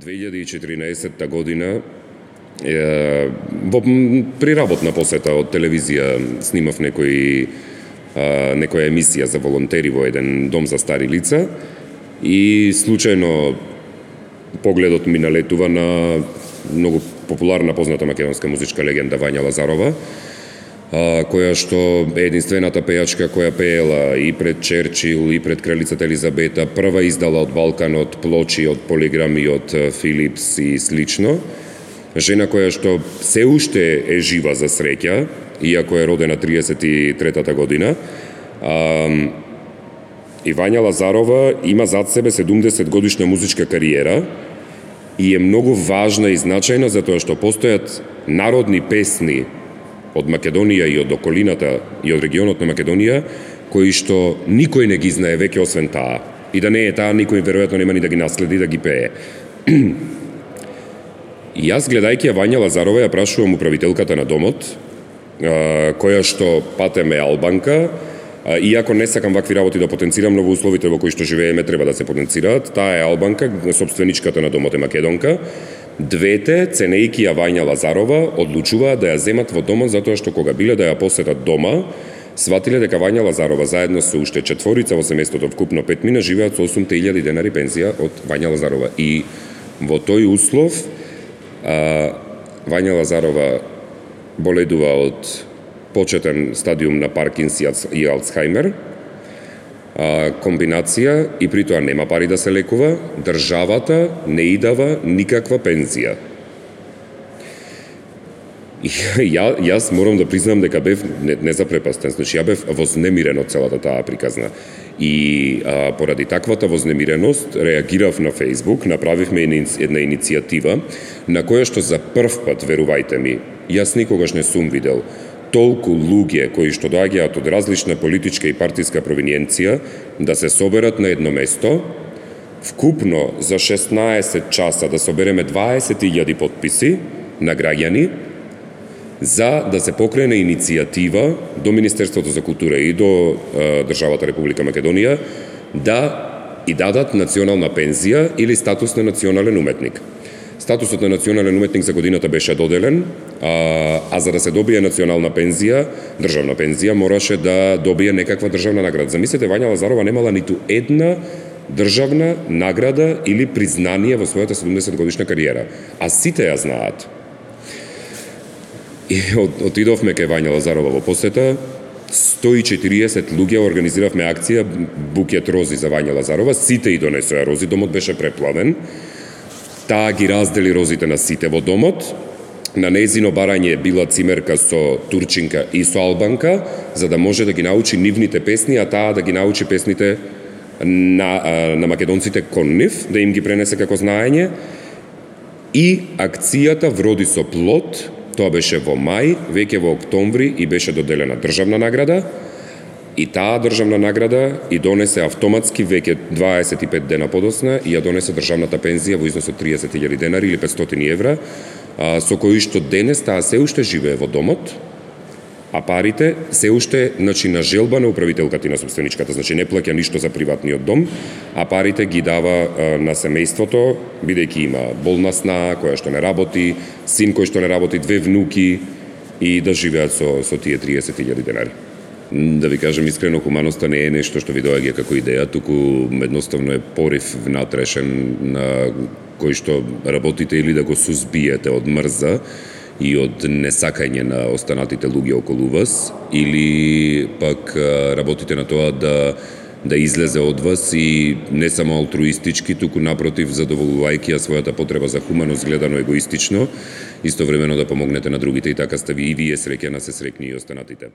2014 година при работна посета од телевизија снимав некоја емисија за волонтери во еден дом за стари лица и случајно погледот ми налетува на многу популарна позната македонска музичка легенда Вања Лазарова, која што е единствената пејачка која пеела и пред Черчил и пред кралицата Елизабета, прва издала од Балканот плочи од Полиграми од Филипс и слично. Жена која што се уште е жива за среќа, иако е родена 33-та година. И Вања Лазарова има зад себе 70 годишна музичка кариера и е многу важна и значајна затоа што постојат народни песни од Македонија и од околината и од регионот на Македонија кои што никој не ги знае веќе освен таа. И да не е таа, никој веројатно нема ни да ги наследи да ги пее. И јас гледајќи ја Вања Лазарова ја прашувам управителката на домот, која што патеме албанка, иако не сакам вакви работи да потенцирам, но во условите во кои што живееме треба да се потенцираат, таа е албанка, собственичката на домот е македонка. Двете, ценејќи ја Вања Лазарова, одлучуваат да ја земат во домот затоа што кога биле да ја посетат дома, сватиле дека Вања Лазарова заедно со уште четворица во семејството, вкупно 5 живеат со 8.000 денари пензија од Вања Лазарова. И во тој услов Вања Лазарова боледува од почетен стадиум на Паркинс и Алцхаймер, комбинација и при тоа нема пари да се лекува, државата не и дава никаква пензија. И јас морам да признам дека бев не запрепастен, значи ја бев вознемирен од целата таа приказна. И поради таквата вознемиреност реагирав на Facebook, направивме една иницијатива на која што за прв пат, верувајте ми, јас никогаш не сум видел толку луѓе кои што доаѓаат од различна политичка и партиска провиниенција да се соберат на едно место, вкупно за 16 часа да собереме 20.000 подписи на граѓани за да се покрене иницијатива до Министерството за култура и до државата Република Македонија да и дадат национална пензија или статус на национален уметник. Статусот на национален уметник за годината беше доделен, а за да се добие национална пензија, државна пензија, мораше да добие некаква државна награда. Замислете, Вања Лазарова немала ниту една државна награда или признание во својата 70 годишна кариера, а сите ја знаат. И отидовме кај Вања Лазарова во посета, 140 луѓе организиравме акција букет рози за Вања Лазарова, сите и донесоа рози, домот беше преплавен. Таа ги раздели розите на сите во домот. На нејзино барање била цимерка со турчинка и со албанка, за да може да ги научи нивните песни, а таа да ги научи песните на македонците кон нив, да им ги пренесе како знаење. И акцијата вроди со плод. Тоа беше во мај, веќе во октомври и беше доделена државна награда. И таа државна награда и донесе автоматски веќе 25 дена подосна и ја донесе државната пензија во износ од 30.000 денари или 500 евра, со кои што денес таа се уште живее во домот, а парите се уште, значи, на желба на управителката и на собственичката, значи не плаќа ништо за приватниот дом, а парите ги дава на семејството, бидејќи има болна сна, која што не работи, син кој што не работи, 2 внуки и да живеат со тие 30.000 денари. Да ви кажем искрено, хуманоста не е нешто што ви доаѓа како идеја, туку едноставно е порив внатрешен на кој што работите или да го сузбиете од мрза и од несакање на останатите луѓе околу вас, или пак работите на тоа да излезе од вас и не само алтруистички, туку напротив, задоволувајќи ја својата потреба за хуманост, гледано егоистично, истовремено да помогнете на другите и така сте и вие среќна, се срекни и останатите.